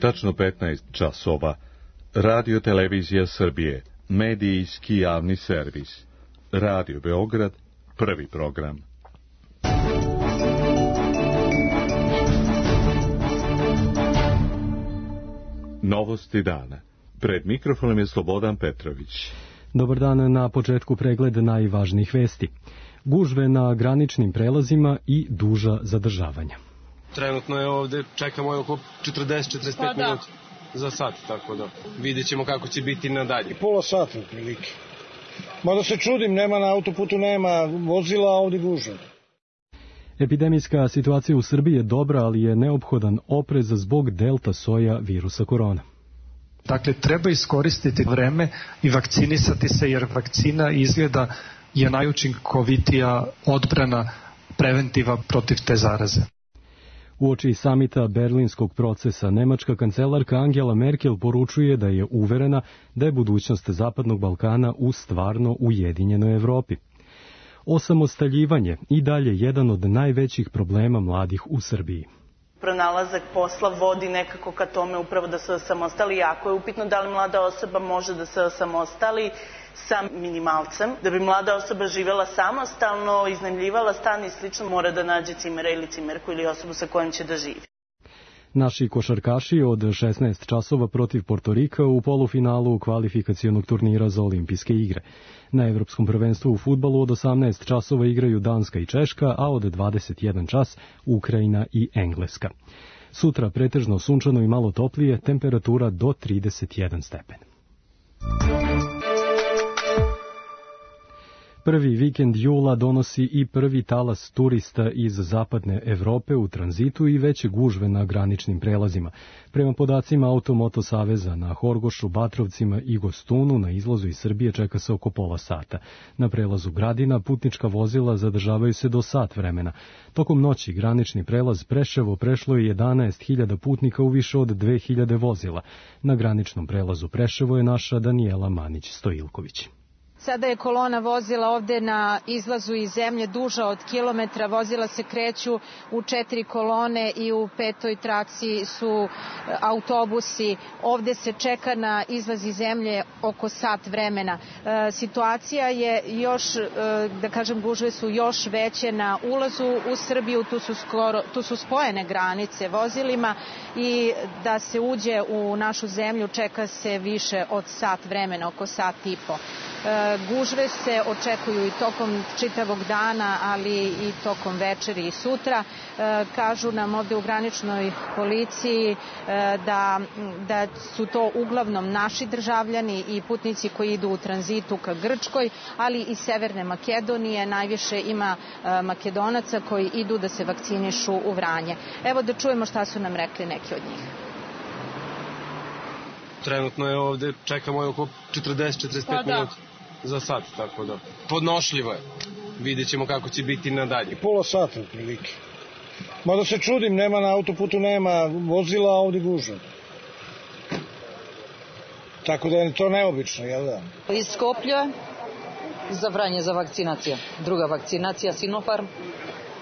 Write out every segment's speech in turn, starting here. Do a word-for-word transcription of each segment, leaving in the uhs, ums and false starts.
tačno petnaest časova. Radio Televizija Srbije, medijski javni servis. Radio Beograd, prvi program. Novosti dana. Pred mikrofonom je Slobodan Petrović. Dobar dan, na početku pregled najvažnijih vesti. Gužve na graničnim prelazima i duža zadržavanja. Trenutno je ovde, čekamo je oko četrdeset do četrdeset pet pa minuta za sat, tako da vidjet ćemo kako će biti nadalje. Pola sata prilike. Mada se čudim, nema na autoputu, nema vozila, a ovdje gužva. Epidemijska situacija u Srbiji je dobra, ali je neophodan oprez zbog delta soja virusa korona. Dakle, treba iskoristiti vreme i vakcinisati se, jer vakcina izgleda je najučinkovitija odbrana preventiva protiv te zaraze. Uoči samita berlinskog procesa, nemačka kancelarka Angela Merkel poručuje da je uverena da je budućnost Zapadnog Balkana u stvarno ujedinjenoj Evropi. Osamostaljivanje i dalje jedan od najvećih problema mladih u Srbiji. Pronalazak posla vodi nekako ka tome upravo da se osamostali. Jako je upitno da li mlada osoba može da se osamostali sa minimalcem. Da bi mlada osoba živjela samostalno, iznajmljivala stan i slično, mora da nađe cimera ili cimerku ili osobu sa kojom će da živi. Naši košarkaši od šesnaest časova protiv Portorika u polufinalu kvalifikacionog turnira za olimpijske igre. Na Evropskom prvenstvu u fudbalu od osamnaest časova igraju Danska i Češka, a od dvadeset jedan čas Ukrajina i Engleska. Sutra pretežno sunčano i malo toplije, temperatura do trideset jedan stepen. Prvi vikend jula donosi i prvi talas turista iz zapadne Evrope u tranzitu i veće gužve na graničnim prelazima. Prema podacima Automoto Saveza, na Horgošu, Batrovcima i Gostunu na izlazu iz Srbije čeka se oko pola sata. Na prelazu Gradina putnička vozila zadržavaju se do sat vremena. Tokom noći granični prelaz Preševo prešlo je jedanaest hiljada putnika u više od dve hiljade vozila. Na graničnom prelazu Preševo je naša Danijela Manić-Stojilković. Sada je kolona vozila ovde na izlazu iz zemlje duža od kilometra. Vozila se kreću u četiri kolone i u petoj traci su autobusi. Ovde se čeka na izlaz iz zemlje oko sat vremena. E, situacija je još, e, da kažem, gužve su još veće na ulazu u Srbiju. Tu su, skoro, tu su spojene granice vozilima i da se uđe u našu zemlju čeka se više od sat vremena, oko sat i po. Gužve se očekuju i tokom čitavog dana, ali i tokom večeri i sutra. Kažu nam ovde u graničnoj policiji da, da su to uglavnom naši državljani i putnici koji idu u tranzitu ka Grčkoj, ali i Severne Makedonije. Najviše ima Makedonaca koji idu da se vakcinišu u Vranje. Evo da čujemo šta su nam rekli neki od njih. Trenutno je ovde, čekamo je oko četrdeset do četrdeset pet pa minuta za sat, tako da podnošljivo je. Vidjet ćemo kako će biti nadalje. Pola sata prilike. Mada se čudim, nema na autoputu, nema vozila, a ovdje gužva. Tako da je to neobično, jel da? Iz Skoplja za Vranje za vakcinacija. Druga vakcinacija Sinopharm.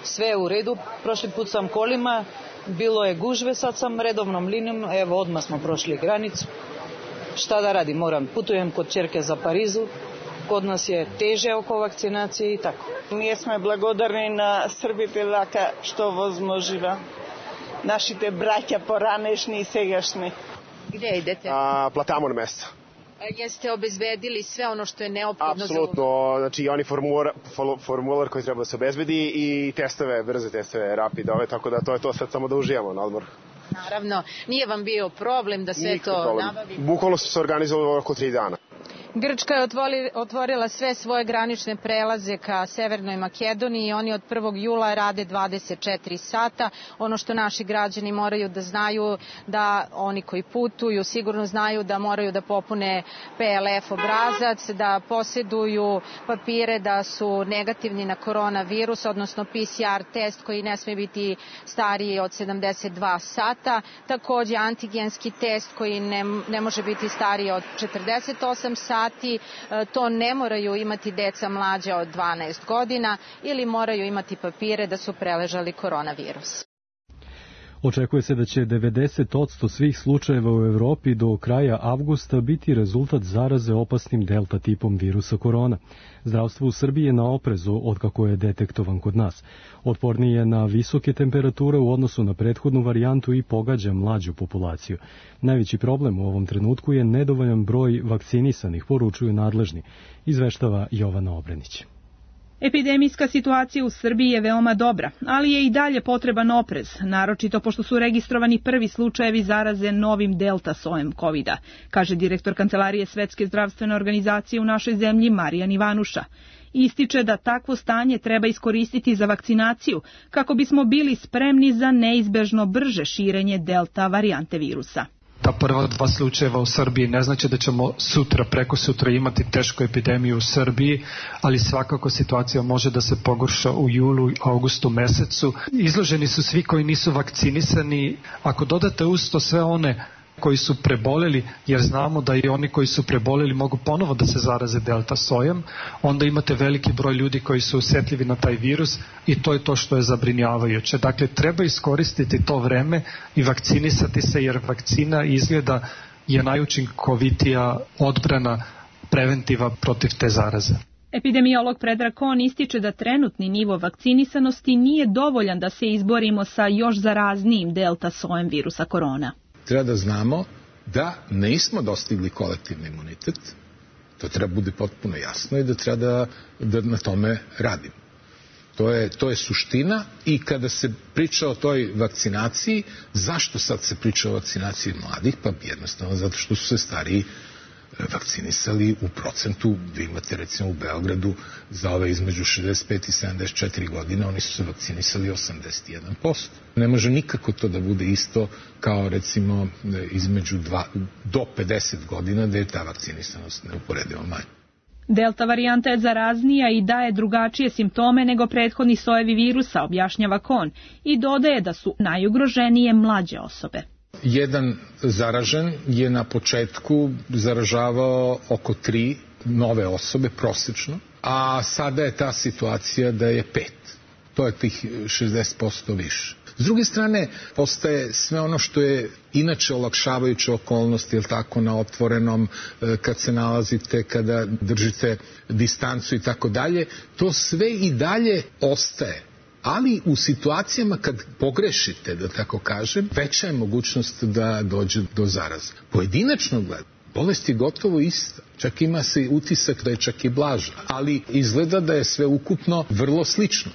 Sve je u redu. Prošli put sam kolima, bilo je gužve, sad sam redovnom linijom, evo odmah smo prošli granicu. Šta da radim, moram, putujem kod ćerke za Parizu, kod nas je teže oko vakcinacije i tako. Ние сме благодарни на србите лака што возможива. Нашите браќа поранешни и сегашни. Gde idete? A, platamo na mesta. Jeste obezbedili sve ono što je neophodno? Apsolutno, znači oni formular, formular koji treba da se obezbedi i testove, brze testove, rapidove, tako da to je to, sad samo da uživamo na odmoru. Naravno, nije vam bio problem da sve Nikako to problem. nabavi? Bukvalno su se organizovali oko tri dana. Grčka je otvorila sve svoje granične prelaze ka Severnoj Makedoniji i oni od prvog jula rade dvadeset četiri sata. Ono što naši građani moraju da znaju, da oni koji putuju sigurno znaju da moraju da popune P L F obrazac, da posjeduju papire da su negativni na koronavirus, odnosno P C R test koji ne sme biti stariji od sedamdeset dva sata. Takođe antigenski test koji ne, ne može biti stariji od četrdeset osam sati. To ne moraju imati deca mlađa od dvanaest godina ili moraju imati papire da su preležali koronavirus. Očekuje se da će devedeset posto svih slučajeva u Evropi do kraja avgusta biti rezultat zaraze opasnim delta tipom virusa korona. Zdravstvo u Srbiji je na oprezu otkako je detektovan kod nas. Otporniji je na visoke temperature u odnosu na prethodnu varijantu i pogađa mlađu populaciju. Najveći problem u ovom trenutku je nedovoljan broj vakcinisanih, poručuju nadležni, izveštava Jovana Obrenić. Epidemijska situacija u Srbiji je veoma dobra, ali je i dalje potreban oprez, naročito pošto su registrovani prvi slučajevi zaraze novim delta sojem kovida, kaže direktor Kancelarije Svetske zdravstvene organizacije u našoj zemlji Marijan Ivanuša. Ističe da takvo stanje treba iskoristiti za vakcinaciju kako bismo bili spremni za neizbežno brže širenje delta varijante virusa. Ta prva dva slučajeva u Srbiji ne znači da ćemo sutra, preko sutra imati tešku epidemiju u Srbiji, ali svakako situacija može da se pogorša u julu i augustu mesecu. Izloženi su svi koji nisu vakcinisani. Ako dodate uz to sve one koji su preboleli, jer znamo da i oni koji su preboleli mogu ponovo da se zaraze delta sojem, onda imate veliki broj ljudi koji su osjetljivi na taj virus i to je to što je zabrinjavajuće. Dakle, treba iskoristiti to vreme i vakcinisati se, jer vakcina izgleda je najučinkovitija odbrana, preventiva protiv te zaraze. Epidemiolog Predrag Kon ističe da trenutni nivo vakcinisanosti nije dovoljan da se izborimo sa još zaraznijim delta sojem virusa korona. Treba da znamo da nismo dostigli kolektivni imunitet, to treba bude potpuno jasno i da treba da, da na tome radimo. To je, to je suština i kada se priča o toj vakcinaciji, zašto sad se priča o vakcinaciji mladih? Pa jednostavno zato što su se stariji vakcinisali u procentu. Vi imate recimo u Beogradu za ove između šezdeset pet i sedamdeset četiri godine, oni su se vakcinisali osamdeset jedan posto. Ne može nikako to da bude isto kao recimo između dva do pedeset godina, gde je ta vakcinisanost neuporedivo manja. Delta varijanta je zaraznija i daje drugačije simptome nego prethodni sojevi virusa, objašnjava Kon, i dodaje da su najugroženije mlađe osobe. Jedan zaražen je na početku zaražavao oko tri nove osobe prosečno, a sada je ta situacija da je pet. To je tih šezdeset posto više. S druge strane, postaje sve ono što je inače olakšavajuće okolnosti, jel tako, na otvorenom, kad se nalazite, kada držite distancu i tako dalje, to sve i dalje ostaje. Ali u situacijama kad pogrešite, da tako kažem, veća je mogućnost da dođe do zaraze. Pojedinačno gleda, bolest je gotovo ista. Čak ima se utisak da je čak i blaža, ali izgleda da je sve ukupno vrlo slično.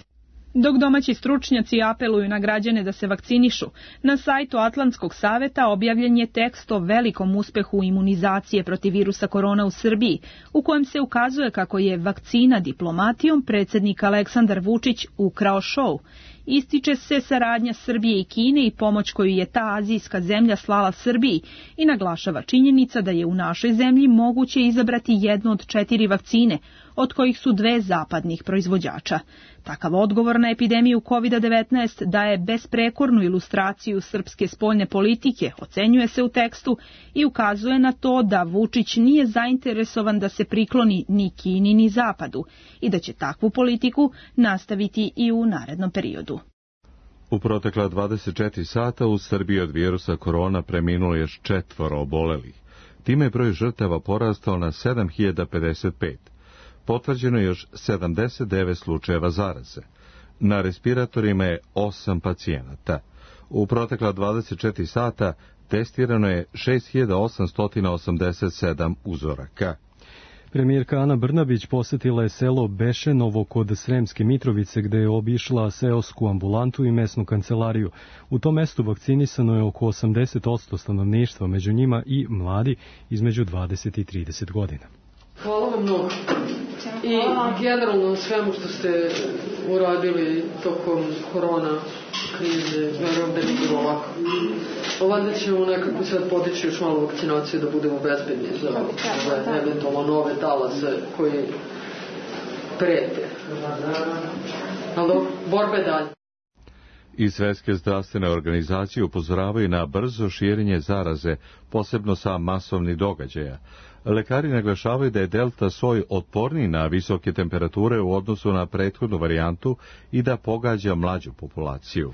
Dok domaći stručnjaci apeluju na građane da se vakcinišu, na sajtu Atlantskog saveta objavljen je tekst o velikom uspehu imunizacije protiv virusa korona u Srbiji, u kojem se ukazuje kako je vakcina diplomatijom predsjednik Aleksandar Vučić ukrao šou. Ističe se saradnja Srbije i Kine i pomoć koju je ta azijska zemlja slala Srbiji i naglašava činjenica da je u našoj zemlji moguće izabrati jednu od četiri vakcine, od kojih su dve zapadnih proizvođača. Takav odgovor na epidemiju kovid devetnaest daje besprekornu ilustraciju srpske spoljne politike, ocenjuje se u tekstu, i ukazuje na to da Vučić nije zainteresovan da se prikloni ni Kini ni Zapadu i da će takvu politiku nastaviti i u narednom periodu. U protekla dvadeset četiri sata u Srbiji od virusa korona preminulo još četvoro obolelih. Time je broj žrtava porastao na sedam hiljada pedeset pet. Potvrđeno je još sedamdeset devet slučajeva zaraze. Na respiratorima je osam pacijenata. U protekla dvadeset četiri sata testirano je šest hiljada osamsto osamdeset sedam uzoraka. Premijerka Ana Brnabić posjetila je selo Bešenovo kod Sremske Mitrovice, gde je obišla seosku ambulantu i mesnu kancelariju. U tom mestu vakcinisano je oko osamdeset posto stanovništva, među njima i mladi između dvadeset i trideset godina. Hvala vam mnogo. I generalno svemu što ste uradili tokom korona krize, verujem da nije bilo lako. Ovdje ćemo nekako sad podići još malo vakcinaciju da budemo bezbedni za ove eventualno nove talase koji prete. Ali borbe dalje. I Svetske zdravstvene organizacije upozoravaju na brzo širenje zaraze, posebno sa masovnih događaja. Lekari naglašavaju da je delta soj otporniji na visoke temperature u odnosu na prethodnu varijantu i da pogađa mlađu populaciju.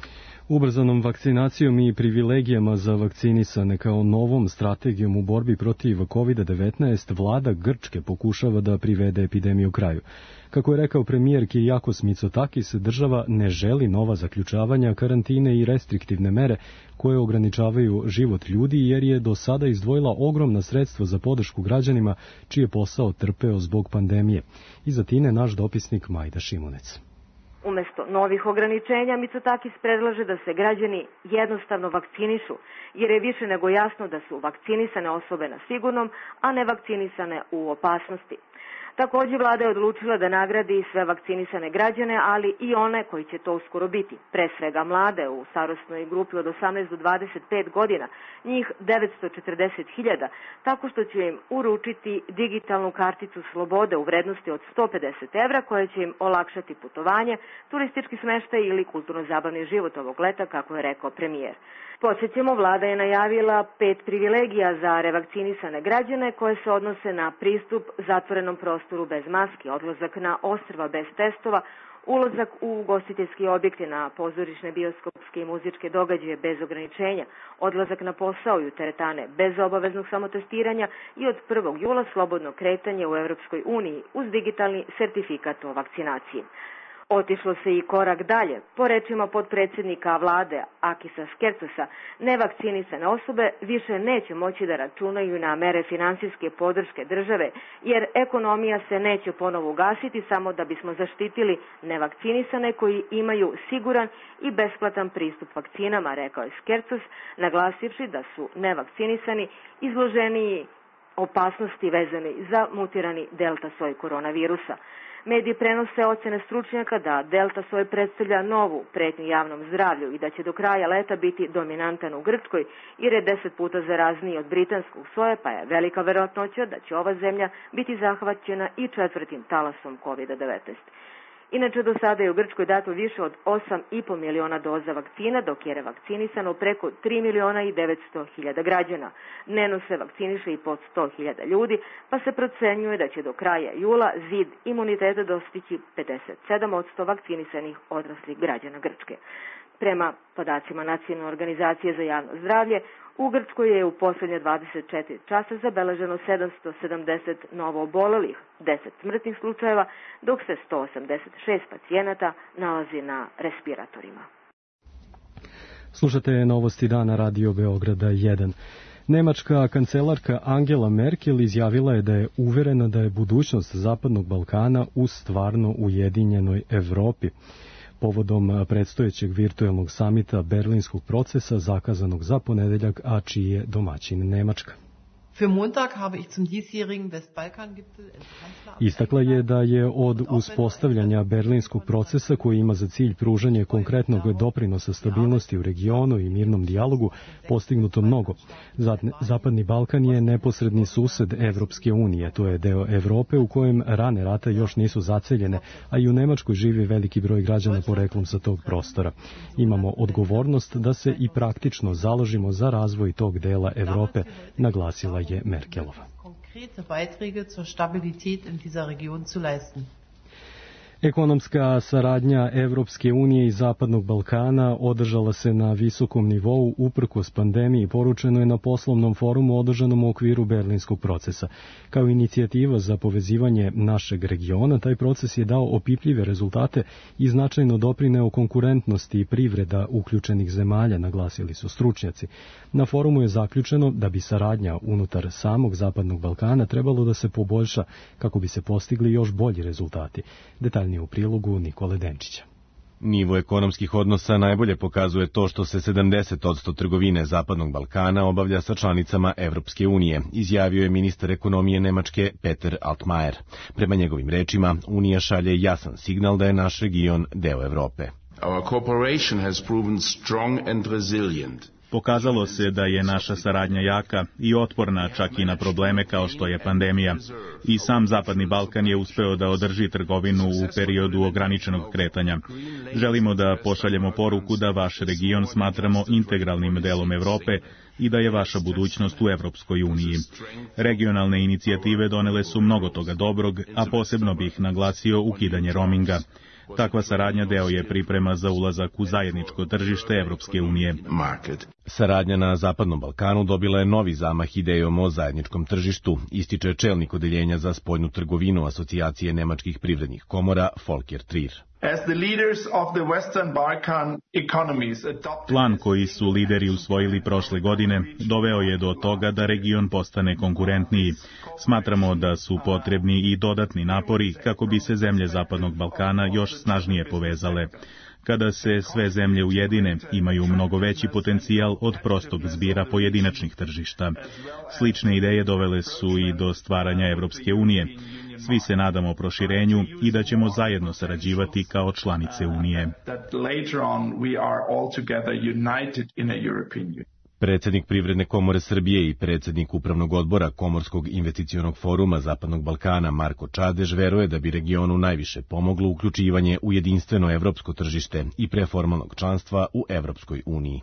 Ubrzanom vakcinacijom i privilegijama za vakcinisane kao novom strategijom u borbi protiv kovid devetnaest vlada Grčke pokušava da privede epidemiju kraju. Kako je rekao premijer Kyriakos Mitsotakis, država ne želi nova zaključavanja, karantine i restriktivne mere koje ograničavaju život ljudi, jer je do sada izdvojila ogromna sredstva za podršku građanima čiji je posao trpeo zbog pandemije. Iz Atine naš dopisnik Majda Šimunec. Umesto novih ograničenja, Mitsotakis predlaže da se građani jednostavno vakcinišu, jer je više nego jasno da su vakcinisane osobe na sigurnom, a ne vakcinisane u opasnosti. Također, vlada je odlučila da nagradi sve vakcinisane građane, ali i one koji će to uskoro biti. Pre svega mlade u starosnoj grupi od osamnaest do dvadeset pet godina, njih devetsto četrdeset hiljada, tako što će im uručiti digitalnu karticu slobode u vrednosti od sto pedeset evra, koja će im olakšati putovanje, turistički smeštaj ili kulturno-zabavni život ovog leta, kako je rekao premijer. Podsjećamo, vlada je najavila pet privilegija za revakcinisane građane koje se odnose na pristup zatvorenom prostoru bez maski, odlazak na ostrva bez testova, ulazak u ugostiteljski objekte, na pozorišne, bioskopske i muzičke događaje bez ograničenja, odlazak na posao i u teretane bez obaveznog samotestiranja i od prvog jula slobodno kretanje u Evropskoj uniji uz digitalni sertifikat o vakcinaciji. Otišlo se i korak dalje. Po rečima potpredsjednika vlade Akisa Skercosa, nevakcinisane osobe više neće moći da računaju na mere finansijske podrške države, jer ekonomija se neće ponovo ugasiti samo da bismo zaštitili nevakcinisane koji imaju siguran i besplatan pristup vakcinama, rekao je Skercos, naglasivši da su nevakcinisani izloženiji opasnosti vezani za mutirani delta soj koronavirusa. Mediji prenose ocene stručnjaka da delta soj predstavlja novu pretnju javnom zdravlju i da će do kraja leta biti dominantan u Grčkoj, jer je deset puta zarazniji od britanskog soja, pa je velika verovatnoća da će ova zemlja biti zahvaćena i četvrtim talasom kovid devetnaest. Inače, do sada je u Grčkoj dato više od osam i po miliona doza vakcina, dok je revakcinisano preko tri miliona i devetsto hiljada građana. Dnevno se vakciniše i pod sto hiljada ljudi, pa se procenjuje da će do kraja jula zid imuniteta dostići pedeset sedam posto vakcinisanih odraslih građana Grčke. Prema podacima Nacionalne organizacije za javno zdravlje, u Grčkoj je u posljednje dvadeset četiri časa zabeleženo sedamsto sedamdeset novo obolelih, deset smrtnih slučajeva, dok se sto osamdeset šest pacijenata nalazi na respiratorima. Slušate novosti dana Radio Beograda jedan. Nemačka kancelarka Angela Merkel izjavila je da je uverena da je budućnost Zapadnog Balkana u stvarno ujedinjenoj Evropi. Povodom predstojećeg virtuelnog samita Berlinskog procesa zakazanog za ponedeljak, a čiji je domaćin Nemačka. Istakla je da je od uspostavljanja Berlinskog procesa, koji ima za cilj pružanje konkretnog doprinosa stabilnosti u regionu i mirnom dijalogu, postignuto mnogo. Zapadni Balkan je neposredni sused Evropske unije, to je deo Evrope u kojem rane rata još nisu zaceljene, a i u Nemačkoj živi veliki broj građana poreklom sa tog prostora. Imamo odgovornost da se i praktično založimo za razvoj tog dela Evrope, naglasila je Merkelova. Ekonomska saradnja Evropske unije i Zapadnog Balkana održala se na visokom nivou uprkos pandemiji, poručeno je na poslovnom forumu održanom u okviru Berlinskog procesa. Kao inicijativa za povezivanje našeg regiona, taj proces je dao opipljive rezultate i značajno doprineo konkurentnosti i privreda uključenih zemalja, naglasili su stručnjaci. Na forumu je zaključeno da bi saradnja unutar samog Zapadnog Balkana trebalo da se poboljša kako bi se postigli još bolji rezultati. Detaljnije u prilogu Nikole Denčića. Nivo ekonomskih odnosa najbolje pokazuje to što se sedamdeset posto trgovine Zapadnog Balkana obavlja sa članicama Evropske unije, izjavio je ministar ekonomije Nemačke Peter Altmaier. Prema njegovim rečima, Unija šalje jasan signal da je naš region deo Evrope. Our cooperation has proven strong and resilient. Pokazalo se da je naša saradnja jaka i otporna čak i na probleme kao što je pandemija. I sam Zapadni Balkan je uspeo da održi trgovinu u periodu ograničenog kretanja. Želimo da pošaljemo poruku da vaš region smatramo integralnim delom Evrope i da je vaša budućnost u Evropskoj uniji. Regionalne inicijative donele su mnogo toga dobrog, a posebno bih naglasio ukidanje roaminga. Takva saradnja deo je priprema za ulazak u zajedničko tržište Evropske unije. Saradnja na Zapadnom Balkanu dobila je novi zamah idejom o zajedničkom tržištu, ističe čelnik odeljenja za spoljnu trgovinu Asocijacije nemačkih privrednih komora Volker Trier. Plan koji su lideri usvojili prošle godine doveo je do toga da region postane konkurentniji. Smatramo da su potrebni i dodatni napori kako bi se zemlje Zapadnog Balkana još snažnije povezale. Kada se sve zemlje ujedine, imaju mnogo veći potencijal od prostog zbira pojedinačnih tržišta. Slične ideje dovele su i do stvaranja Evropske unije. Svi se nadamo proširenju i da ćemo zajedno sarađivati kao članice Unije. Predsednik Privredne komore Srbije i predsednik Upravnog odbora Komorskog investicionog foruma Zapadnog Balkana Marko Čadež veruje da bi regionu najviše pomoglo uključivanje u jedinstveno evropsko tržište i pre formalnog članstva u Evropskoj uniji.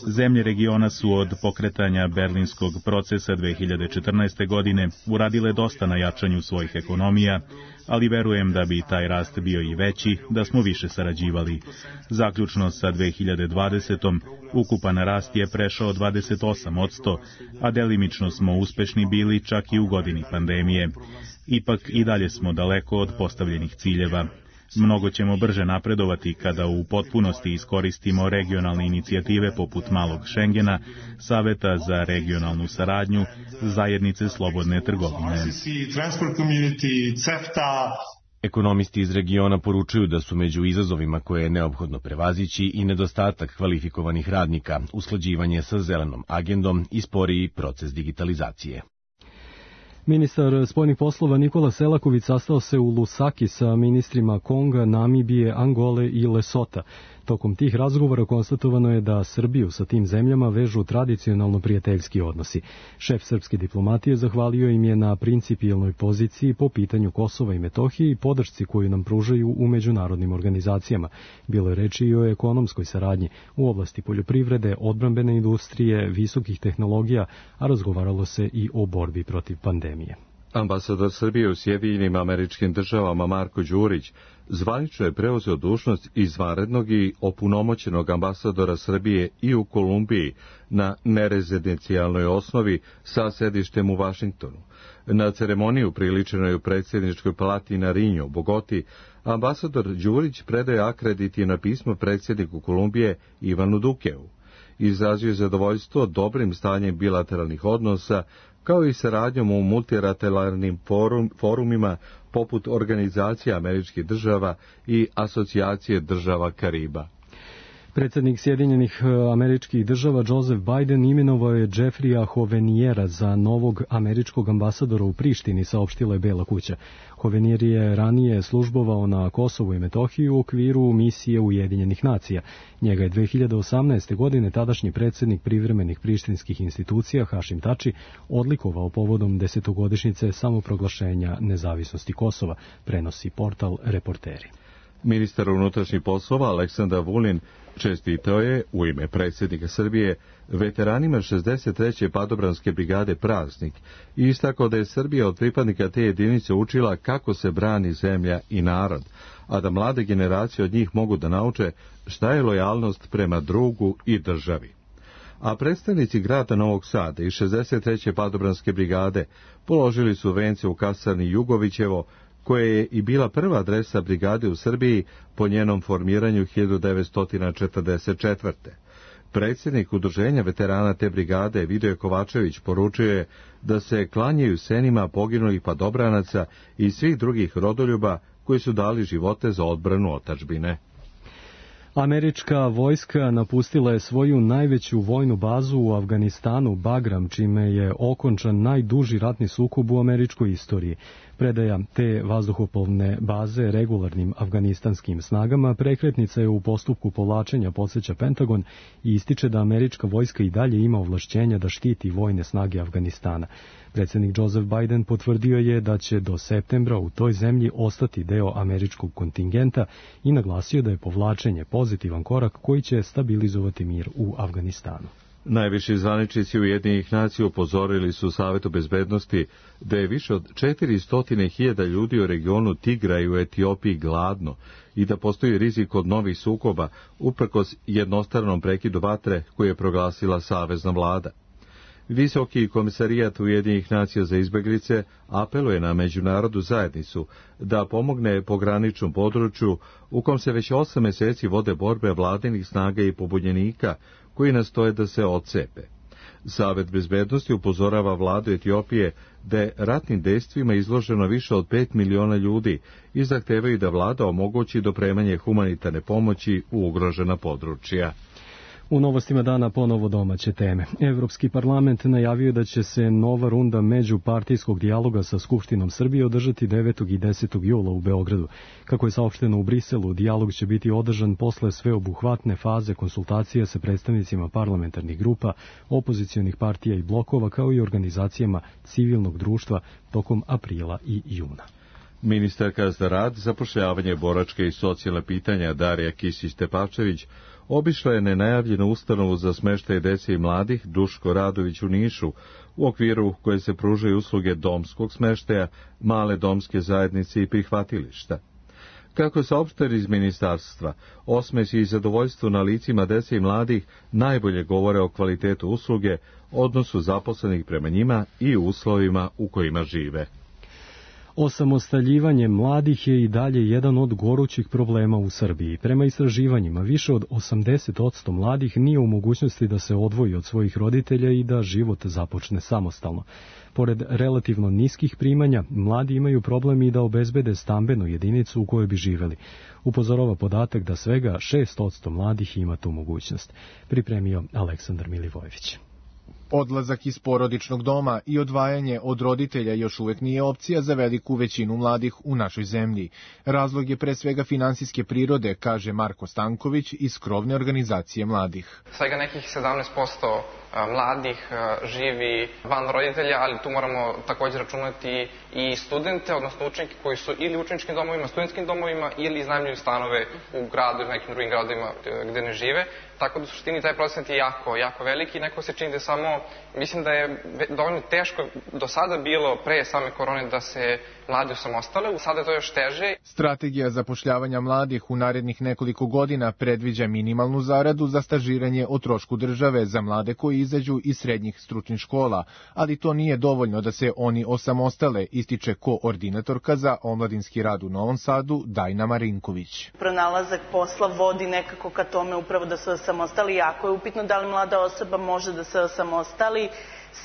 Zemlje regiona su od pokretanja berlinskog procesa dve hiljade četrnaeste. godine uradile dosta na jačanju svojih ekonomija, ali verujem da bi taj rast bio i veći da smo više sarađivali. Zaključno sa dve hiljade dvadesetom. ukupan rast je prešao dvadeset osam posto, a delimično smo uspešni bili čak i u godini pandemije. Ipak i dalje smo daleko od postavljenih ciljeva. Mnogo ćemo brže napredovati kada u potpunosti iskoristimo regionalne inicijative poput Malog Šengena, Saveta za regionalnu saradnju, Zajednice slobodne trgovine. Ekonomisti iz regiona poručuju da su među izazovima koje je neophodno prevazići i nedostatak kvalifikovanih radnika, usklađivanje sa zelenom agendom i sporiji proces digitalizacije. Ministar spoljnih poslova Nikola Selaković sastao se u Lusaki sa ministrima Konga, Namibije, Angole i Lesota. Tokom tih razgovora konstatovano je da Srbiju sa tim zemljama vežu tradicionalno prijateljski odnosi. Šef srpske diplomatije zahvalio im je na principijelnoj poziciji po pitanju Kosova i Metohije i podršci koju nam pružaju u međunarodnim organizacijama. Bilo je reči i o ekonomskoj saradnji u oblasti poljoprivrede, odbrambene industrije, visokih tehnologija, a razgovaralo se i o borbi protiv pandemije. Ambasador Srbije u Sjedinjenim Američkim Državama Marko Đurić zvanično je preuzeo dužnost izvanrednog i opunomoćenog ambasadora Srbije i u Kolumbiji na nerezidencijalnoj osnovi sa sedištem u Vašingtonu. Na ceremoniju priličenoj u predsjedničkoj palati Narinjo u Bogoti, ambasador Đurić predaje akreditivno pismo predsjedniku Kolumbije Ivanu Dukeu. Izrazio je zadovoljstvo dobrim stanjem bilateralnih odnosa, kao i saradnjom u multilateralnim forum, forumima poput Organizacije američkih država i Asocijacije država Kariba. Predsjednik Sjedinjenih Američkih Država Joseph Biden imenovao je Jeffreya Hoveniera za novog američkog ambasadora u Prištini, saopštila je Bela kuća. Hovenier je ranije službovao na Kosovu i Metohiji u okviru misije Ujedinjenih nacija. Njega je dve hiljade osamnaeste. godine tadašnji predsjednik privremenih prištinskih institucija Hašim Tači odlikovao povodom desetogodišnjice samoproglašenja nezavisnosti Kosova, prenosi portal Reporteri. Ministar unutrašnjih poslova Aleksandar Vulin čestitao je u ime predsjednika Srbije veteranima šezdeset treće padobranske brigade Praznik i istakao da je Srbija od pripadnika te jedinice učila kako se brani zemlja i narod, a da mlade generacije od njih mogu da nauče šta je lojalnost prema drugu i državi. A predstavnici grada Novog Sada i šezdeset treće padobranske brigade položili su vence u kasarni Jugovićevo, koja je i bila prva adresa brigade u Srbiji po njenom formiranju hiljadu devetsto četrdeset četvrte. Predsjednik udruženja veterana te brigade Vidoje Kovačević poručio je da se klanjaju senima poginulih padobranaca i svih drugih rodoljuba koji su dali živote za odbranu otadžbine. Američka vojska napustila je svoju najveću vojnu bazu u Afganistanu, Bagram, čime je okončan najduži ratni sukob u američkoj istoriji. Predaja te vazduhoplovne baze regularnim afganistanskim snagama prekretnica je u postupku povlačenja, podsjeća Pentagon, i ističe da američka vojska i dalje ima ovlašćenja da štiti vojne snage Afganistana. Predsjednik Joseph Biden potvrdio je da će do septembra u toj zemlji ostati deo američkog kontingenta i naglasio da je povlačenje pozitivan korak koji će stabilizovati mir u Afganistanu. Najviši zvaničnici Ujedinjenih nacija upozorili su Savetu bezbednosti da je više od četiristo hiljada ljudi u regionu Tigra i u Etiopiji gladno i da postoji rizik od novih sukoba uprkos jednostranom prekidu vatre koje je proglasila savezna vlada. Visoki komisarijat Ujedinjenih nacija za izbeglice apeluje na međunarodnu zajednicu da pomogne pograničnom području u kom se već osam meseci vode borbe vladinih snaga i pobunjenika koji nastoje da se odcepe. Savet bezbednosti upozorava vladu Etiopije da je ratnim dejstvima izloženo više od pet miliona ljudi i zahtevaju da vlada omogući dopremanje humanitarne pomoći u ugrožena područja. U novostima dana ponovo domaće teme. Evropski parlament najavio da će se nova runda međupartijskog dijaloga sa Skupštinom Srbije održati devetog i desetog jula u Beogradu. Kako je saopšteno u Briselu, dijalog će biti održan posle sveobuhvatne faze konsultacija sa predstavnicima parlamentarnih grupa, opozicionih partija i blokova, kao i organizacijama civilnog društva tokom aprila i juna. Ministarka za rad, zapošljavanje, boračke i socijalne pitanja Darija Kisić-Tepavčević obišla je nenajavljenu ustanovu za smeštaj dece i mladih Duško Radović u Nišu, u okviru koje se pružaju usluge domskog smeštaja, male domske zajednice i prihvatilišta. Kako je saopšteno iz ministarstva, osmeh i zadovoljstvo na licima dece i mladih najbolje govore o kvalitetu usluge, odnosu zaposlenih prema njima i uslovima u kojima žive. Osamostaljivanje mladih je i dalje jedan od gorućih problema u Srbiji. Prema istraživanjima, više od osamdeset posto mladih nije u mogućnosti da se odvoji od svojih roditelja i da život započne samostalno. Pored relativno niskih primanja, mladi imaju problem i da obezbede stambenu jedinicu u kojoj bi živeli. Upozorava podatak da svega šest posto mladih ima tu mogućnost. Pripremio Aleksandar Milivojević. Odlazak iz porodičnog doma i odvajanje od roditelja još uvek nije opcija za veliku većinu mladih u našoj zemlji. Razlog je pre svega finansijske prirode, kaže Marko Stanković iz krovne organizacije mladih. Svega nekih sedamnaest posto mladih živi van roditelja, ali tu moramo također računati i studente, odnosno učenike koji su ili u učeničkim domovima, studentskim domovima ili iznajmljuju stanove u gradu ili nekim drugim gradovima gde ne žive. Tako da u suštini taj procent je jako, jako veliki. Neko se čini da je samo, mislim da je dovoljno teško do sada bilo pre same korone da se mladi osamostale, sada je to još teže. Strategija zapošljavanja mladih u narednih nekoliko godina predviđa minimalnu zaradu za stažiranje o trošku države za mlade koji izađu iz srednjih stručnih škola, ali to nije dovoljno da se oni osamostale, ističe koordinatorka za omladinski rad u Novom Sadu Dajna Marinković. Pronalazak posla vodi nekako ka tome upravo da se osamostali. Jako je upitno da li mlada osoba može da se osamostali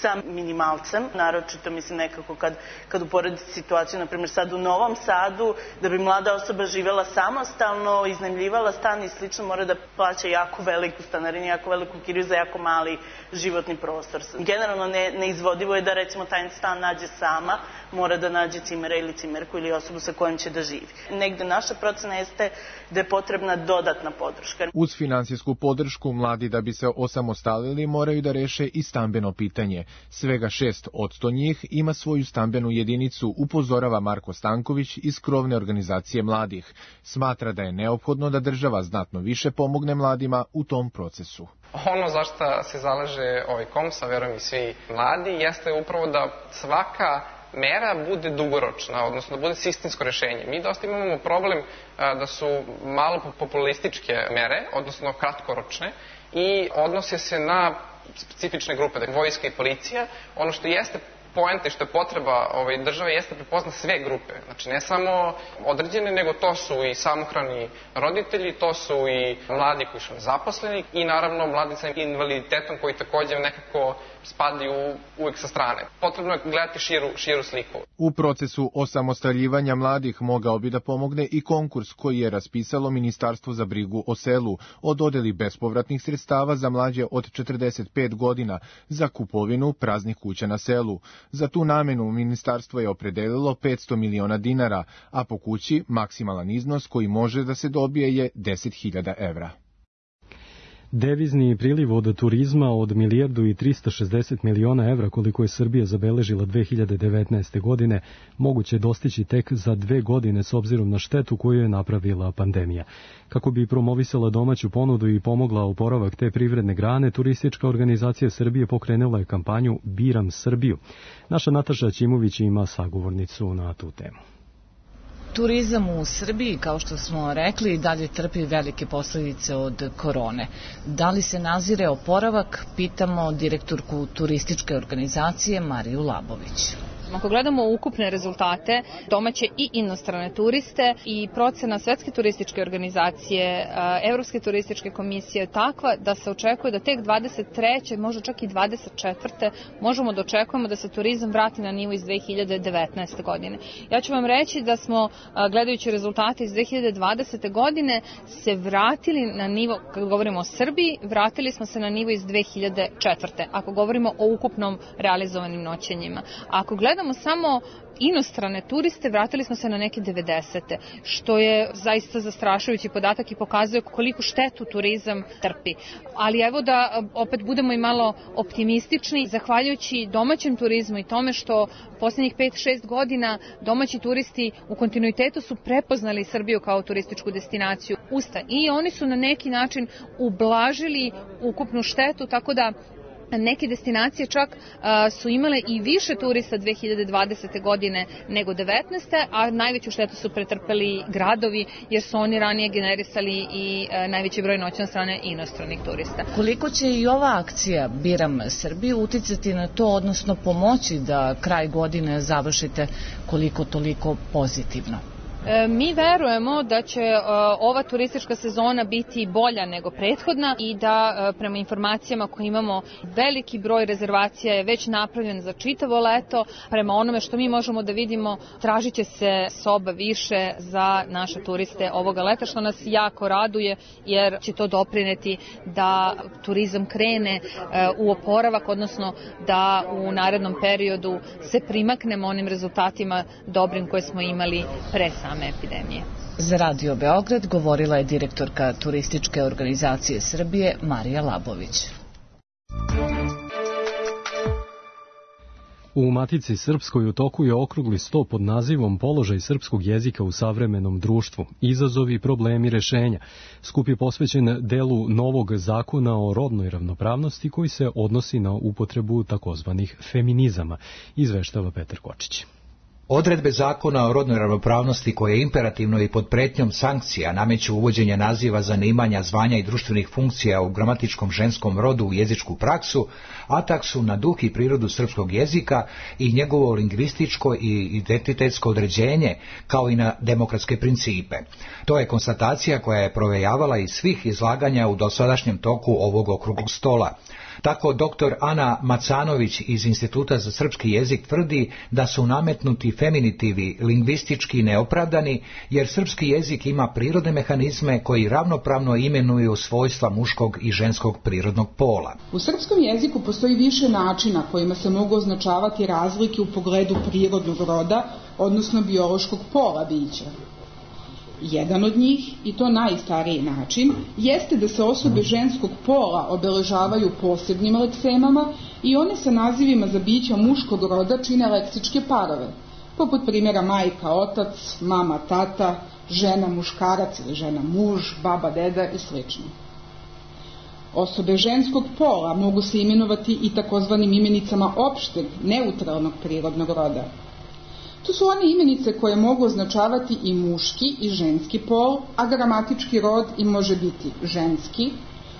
sa minimalcem, naročito mislim nekako kad, kad uporedite situaciju, na primjer sad u Novom Sadu, da bi mlada osoba živela samostalno, iznajmljivala stan i slično, mora da plaća jako veliku stanarinu, jako veliku kiriju za jako mali životni prostor. Generalno ne, neizvodivo je da recimo taj stan nađe sama, mora da nađe cimera ili cimerku ili osobu sa kojom će da živi. Negde naša procena jeste da je potrebna dodatna podrška. Uz finansijsku podršku, mladi da bi se osamostalili moraju da reše i stambeno pitanje. Svega šest posto njih ima svoju stambenu jedinicu, upozorava Marko Stanković iz krovne organizacije mladih. Smatra da je neophodno da država znatno više pomogne mladima u tom procesu. Ono za što se zalaže ovaj KOMS, a verujem i svi mladi, jeste upravo da svaka mera bude dugoročna, odnosno da bude sistemsko rešenje. Mi dosta imamo problem da su malo populističke mere, odnosno kratkoročne, i odnose se na specifične grupe, dakle vojska i policija. Ono što jeste poenta i što je potreba ovaj, države jeste prepozna sve grupe. Znači ne samo određene, nego to su i samohrani roditelji, to su i mladi koji su nezaposleni i naravno mladi sa invaliditetom koji također nekako spadaju uvek sa strane. Potrebno je gledati širu, širu sliku. U procesu osamostaljivanja mladih mogao bi da pomogne i konkurs koji je raspisalo Ministarstvo za brigu o selu o dodeli bespovratnih sredstava za mlađe od četrdeset pet godina za kupovinu praznih kuća na selu. Za tu namenu ministarstvo je opredelilo petsto miliona dinara, a po kući maksimalan iznos koji može da se dobije je deset hiljada evra. Devizni priliv od turizma od milijardu i trista šezdeset miliona evra koliko je Srbija zabeležila dve hiljade devetnaeste. godine moguće dostići tek za dve godine s obzirom na štetu koju je napravila pandemija. Kako bi promovisala domaću ponudu i pomogla oporavak te privredne grane, Turistička organizacija Srbije pokrenula je kampanju Biram Srbiju. Naša Nataša Ćimović ima sagovornicu na tu temu. Turizam u Srbiji, kao što smo rekli, dalje trpi velike posledice od korone. Da li se nazire oporavak, pitamo direktorku turističke organizacije Mariju Labović. Ako gledamo ukupne rezultate, domaće i inostrane turiste i procena Svetske turističke organizacije, Evropske turističke komisije je takva da se očekuje da tek dvadeset treće možda čak i dvadeset četvrte možemo da očekujemo da se turizam vrati na nivo iz dve hiljade devetnaeste. godine. Ja ću vam reći da smo, gledajući rezultate iz dve hiljade dvadesete. godine, se vratili na nivo, kad govorimo o Srbiji, vratili smo se na nivo iz dve hiljade četvrte. ako govorimo o ukupnom realizovanim noćenjima. Ako gledamo Gledamo samo inostrane turiste, vratili smo se na neke devedesete. što je zaista zastrašujući podatak i pokazuje koliko štetu turizam trpi. Ali evo da opet budemo i malo optimistični, zahvaljujući domaćem turizmu i tome što posljednjih pet šest godina domaći turisti u kontinuitetu su prepoznali Srbiju kao turističku destinaciju usta i oni su na neki način ublažili ukupnu štetu, tako da neke destinacije čak a, su imale i više turista dve hiljade dvadesete. godine nego devetnaeste. a najveću štetu su pretrpeli gradovi jer su oni ranije generisali i a, najveći broj noćenja od strane inostranih turista. Koliko će i ova akcija Biram Srbiju uticati na to, odnosno pomoći da kraj godine završite koliko toliko pozitivno? Mi verujemo da će ova turistička sezona biti bolja nego prethodna i da prema informacijama koje imamo veliki broj rezervacija je već napravljen za čitavo leto. Prema onome što mi možemo da vidimo, tražit će se soba više za naše turiste ovoga leta, što nas jako raduje jer će to doprineti da turizam krene u oporavak, odnosno da u narednom periodu se primaknemo onim rezultatima dobrim koje smo imali pre same epidemije. Za Radio Beograd govorila je direktorka Turističke organizacije Srbije Marija Labović. U Matici Srpskoj u toku je okrugli sto pod nazivom Položaj srpskog jezika u savremenom društvu, izazovi i problemi rešenja. Skup je posvećen delu novog zakona o rodnoj ravnopravnosti koji se odnosi na upotrebu takozvanih feminizama, izveštava Petar Kočić. Odredbe zakona o rodnoj ravnopravnosti koje imperativno i pod pretnjom sankcija nameću uvođenje naziva zanimanja, zvanja i društvenih funkcija u gramatičkom ženskom rodu u jezičku praksu, atak su na duh i prirodu srpskog jezika i njegovo lingvističko i identitetsko određenje, kao i na demokratske principe. To je konstatacija koja je provejavala iz svih izlaganja u dosadašnjem toku ovog okruglog stola. Tako doktor Ana Macanović iz Instituta za srpski jezik tvrdi da su nametnuti feminitivi lingvistički neopravdani, jer srpski jezik ima prirodne mehanizme koji ravnopravno imenuju svojstva muškog i ženskog prirodnog pola. U srpskom jeziku postoji više načina kojima se mogu označavati razlike u pogledu prirodnog roda, odnosno biološkog pola bića. Jedan od njih, i to najstariji način, jeste da se osobe ženskog pola obeležavaju posebnim leksemama i one sa nazivima za bića muškog roda čine leksičke parove, poput primjera majka, otac, mama, tata, žena, muškarac ili žena, muž, baba, deda i sl. Osobe ženskog pola mogu se imenovati i takozvanim imenicama opšteg, neutralnog prirodnog roda. To su one imenice koje mogu označavati i muški i ženski pol, a gramatički rod i može biti ženski,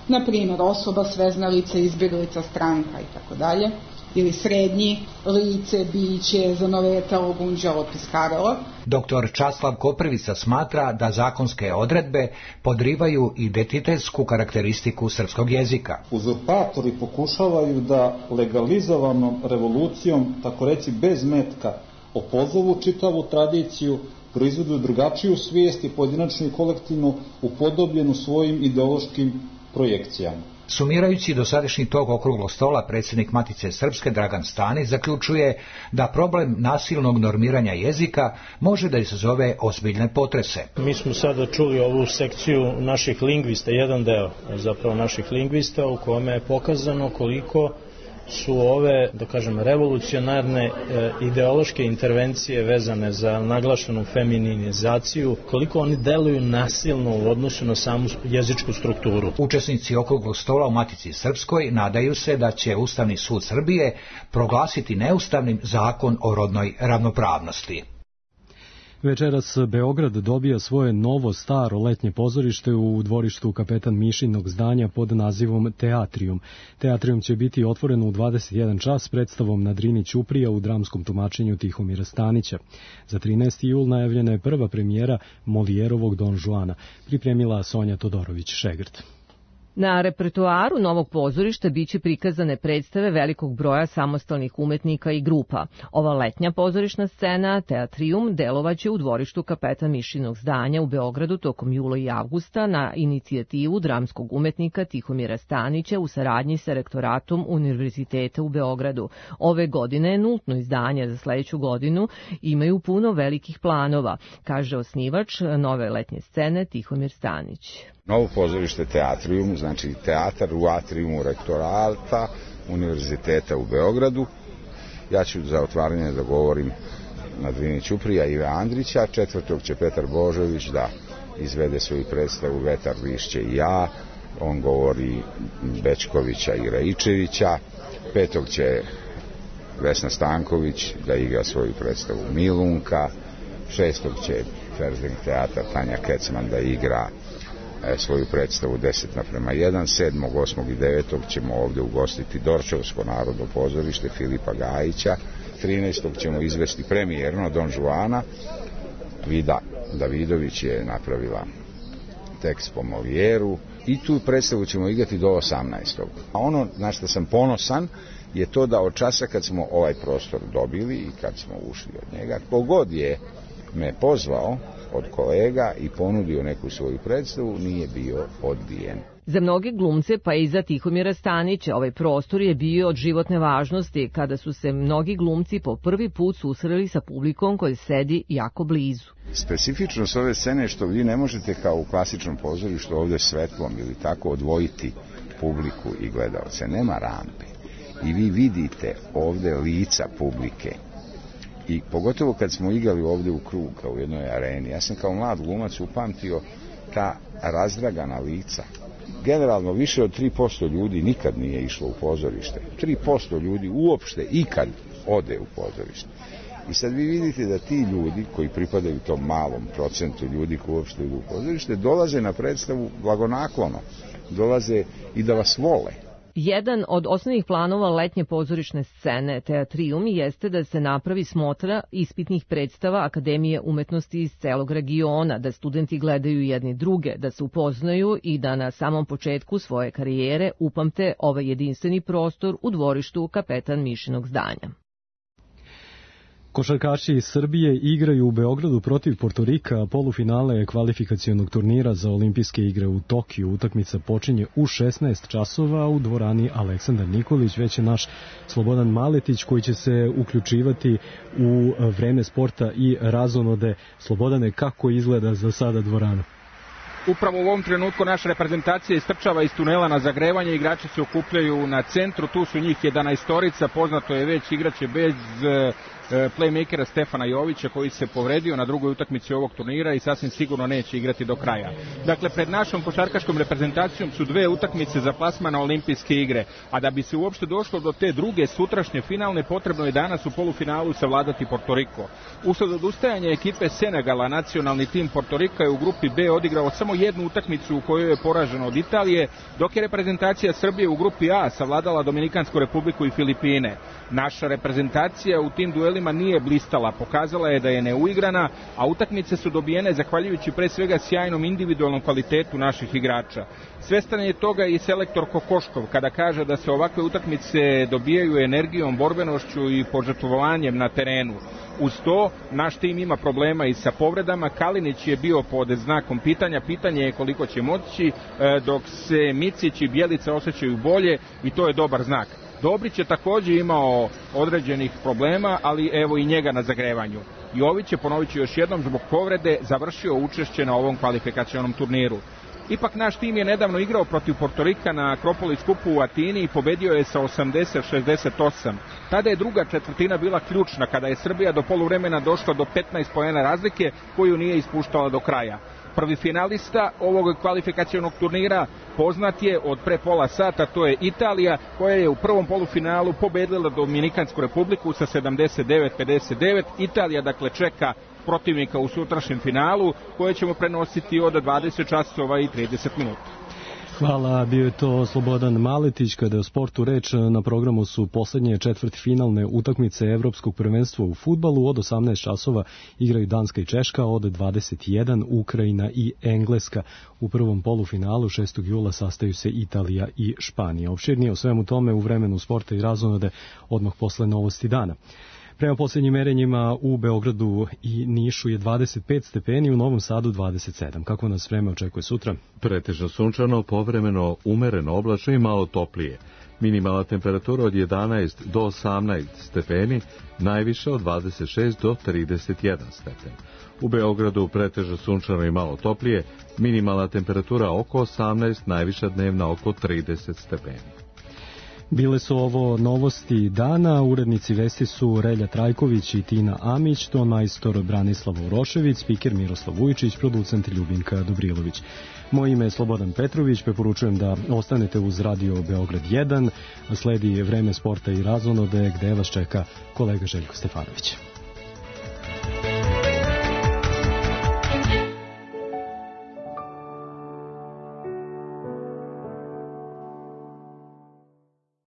na primjer osoba, sveznalica, izbjeglica, stranka i tako dalje, ili srednji, lice, biće, zanovetalo, gunđalo, piskaralo. Doktor Časlav Koprivica smatra da zakonske odredbe podrivaju identitetsku karakteristiku srpskog jezika. Uzurpatori pokušavaju da legalizovanom revolucijom, tako reći bez metka, opozovu čitavu tradiciju, proizvedu drugačiju svijest i pojedinačnu i kolektivnu upodobljenu svojim ideološkim projekcijama. Sumirajući dosadašnji tok okruglog stola, predsjednik Matice Srpske Dragan Stanić zaključuje da problem nasilnog normiranja jezika može da izazove ozbiljne potrese. Mi smo sada čuli ovu sekciju naših lingvista, jedan deo zapravo naših lingvista u kome je pokazano koliko su ove, da kažem, revolucionarne e, ideološke intervencije vezane za naglašenu femininizaciju, koliko oni deluju nasilno u odnosu na samu jezičku strukturu. Učesnici okruglog stola u Matici Srpskoj nadaju se da će Ustavni sud Srbije proglasiti neustavnim zakon o rodnoj ravnopravnosti. Večeras Beograd dobija svoje novo staro letnje pozorište u dvorištu Kapetan Mišinog zdanja pod nazivom Teatrijum. Teatrijum će biti otvoren u dvadeset jedan čas s predstavom na Drini Ćuprija u dramskom tumačenju Tihomira Stanića. Za trinaesti jul najavljena je prva premijera Molijerovog Don Juana, pripremila Sonja Todorović-Šegrt. Na repertoaru novog pozorišta biće prikazane predstave velikog broja samostalnih umetnika i grupa. Ova letnja pozorišna scena, Teatrijum, delovaće u dvorištu Kapetan Mišinog zdanja u Beogradu tokom jula i avgusta na inicijativu dramskog umetnika Tihomira Stanića u saradnji sa rektoratom Univerziteta u Beogradu. Ove godine nultno izdanje za sledeću godinu imaju puno velikih planova, kaže osnivač nove letnje scene Tihomir Stanić. Novo pozorište Teatrijum, znači teatar u atriumu rektorata Univerziteta u Beogradu. Ja ću za otvaranje da govorim na Drini Ćuprija Ive Andrića, četvrtog će Petar Božović da izvede svoju predstavu Vetar, lišće i ja, on govori Bečkovića i Raičevića, petog će Vesna Stanković da igra svoju predstavu Milunka, šestog će Ferzing teatar Tanja Kecman da igra svoju predstavu deset naprema jedan, sedmog, osmog i devetog ćemo ovde ugostiti Dorčevsko narodno pozorište Filipa Gajića, trinaestog ćemo izvesti premijerno Don Juana, Vida Davidović je napravila tekst po Molijeru i tu predstavu ćemo igrati do osamnaestog. A ono na što sam ponosan je to da od časa kad smo ovaj prostor dobili i kad smo ušli od njega, kogod je me pozvao od kolega i ponudio neku svoju predstavu, nije bio odbijen. Za mnoge glumce, pa i za Tihomira Stanića, ovaj prostor je bio od životne važnosti kada su se mnogi glumci po prvi put susreli sa publikom koji sedi jako blizu. Specifičnost ove scene je što vi ne možete kao u klasičnom pozorištu ovde svetlom ili tako odvojiti publiku i gledalce. Nema rampe. I vi vidite ovde lica publike. I pogotovo kad smo igrali ovde u krug, kao u jednoj areni, ja sam kao mlad glumac upamtio ta razdragana lica. Generalno više od tri posto ljudi nikad nije išlo u pozorište. tri posto ljudi uopšte ikad ode u pozorište. I sad vi vidite da ti ljudi koji pripadaju tom malom procentu ljudi koji uopšte idu u pozorište dolaze na predstavu blagonaklono, dolaze i da vas vole. Jedan od osnovnih planova letnje pozorišne scene Teatrijum jeste da se napravi smotra ispitnih predstava Akademije umetnosti iz celog regiona, da studenti gledaju jedni druge, da se upoznaju i da na samom početku svoje karijere upamte ovaj jedinstveni prostor u dvorištu Kapetan Mišinog zdanja. Košarkaši iz Srbije igraju u Beogradu protiv Portorika, polufinale kvalifikacionog turnira za olimpijske igre u Tokiju. Utakmica počinje u šesnaest časova u dvorani Aleksandar Nikolić, već je naš Slobodan Maletić koji će se uključivati u vreme sporta i razonode. Slobodane, kako izgleda za sada dvorana? Upravo u ovom trenutku naša reprezentacija istrčava iz tunela na zagrevanje, igrači se okupljaju na centru, tu su njih jedanaestorica, poznato je već igraće bez playmakera Stefana Jovića koji se povredio na drugoj utakmici ovog turnira i sasvim sigurno neće igrati do kraja. Dakle, pred našom košarkaškom reprezentacijom su dve utakmice za plasman na olimpijske igre, a da bi se uopšte došlo do te druge sutrašnje finalne, potrebno je danas u polufinalu savladati Portoriko. Usled odustajanja ekipe Senegala, nacionalni tim Portorika je u grupi B odigrao samo jednu utakmicu u kojoj je poraženo od Italije, dok je reprezentacija Srbije u grupi A savladala Dominikansku republiku i Filipine. Naša reprezentacija u tim duelima duelima nije blistala, pokazala je da je neuigrana, a utakmice su dobijene zahvaljujući pre svega sjajnom individualnom kvalitetu naših igrača. Svestan je toga i selektor Kokoškov kada kaže da se ovakve utakmice dobijaju energijom, borbenošću i požrtvovanjem na terenu. Uz to, naš tim ima problema i sa povredama. Kalinić je bio pod znakom pitanja, pitanje je koliko će moći, dok se Micić i Bjelica osjećaju bolje i to je dobar znak. Dobrić je također imao određenih problema, ali evo i njega na zagrevanju. Jović je, ponovit ću još jednom, zbog povrede završio učešće na ovom kvalifikacionom turniru. Ipak naš tim je nedavno igrao protiv Portorika na Akropolis kupu u Atini i pobedio je sa osamdeset šezdeset osam. Tada je druga četvrtina bila ključna kada je Srbija do poluvremena došla do petnaest poena razlike koju nije ispuštala do kraja. Prvi finalista ovog kvalifikacionog turnira poznat je od pre pola sata, to je Italija, koja je u prvom polufinalu pobedila Dominikansku republiku sa sedamdeset devet pedeset devet. Italija dakle čeka protivnika u sutrašnjem finalu koje ćemo prenositi od dvadeset časova i trideset minuta. Hvala, bio je to Slobodan Maletić. Kada je o sportu reč, na programu su poslednje četvrtfinalne utakmice Evropskog prvenstva u fudbalu. Od osamnaest časova igraju Danska i Češka, od dvadeset jedan Ukrajina i Engleska. U prvom polufinalu šestog jula sastaju se Italija i Španija. Opširnije o svemu tome u vremenu sporta i razonode odmah posle novosti dana. Prema posljednjim merenjima u Beogradu i Nišu je dvadeset pet stepeni, u Novom Sadu dvadeset sedam. Kako nas vreme očekuje sutra? Pretežno sunčano, povremeno umereno oblačno i malo toplije. Minimalna temperatura od jedanaest do osamnaest stepeni, najviše od dvadeset šest do trideset jedan stepen. U Beogradu pretežno sunčano i malo toplije, minimalna temperatura oko osamnaest, najviša dnevna oko trideset stepeni. Bile su ovo novosti dana, urednici vesti su Relja Trajković i Tina Amić, ton majstor Branislav Urošević, spiker Miroslav Vujčić, producent Ljubinka Dobrilović. Moje ime je Slobodan Petrović, preporučujem da ostanete uz Radio Beograd jedan, sledi vreme sporta i razonode gde vas čeka kolega Željko Stefanović.